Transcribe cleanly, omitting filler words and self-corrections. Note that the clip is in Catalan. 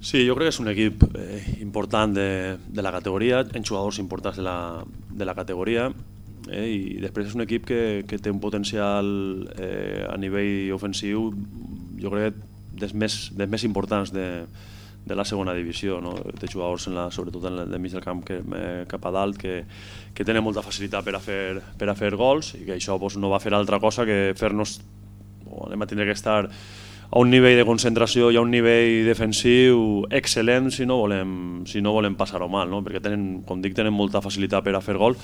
Sí, jo crec que és un equip important de la categoria, en jugadors importants de la categoria, i després és un equip que té un potencial a nivell ofensiu, jo crec dels més importants de la segona divisió, no? Té jugadors sobretot en el mig del camp cap a dalt que tenen molta facilitat per a fer gols, i que això no va fer altra cosa que fer-nos, anem a tindre que estar a un nivell de concentració i a un nivell defensiu excel·lent si no volem passar-ho mal, no? Perquè tenen, com dic, tenen molta facilitat per a fer gol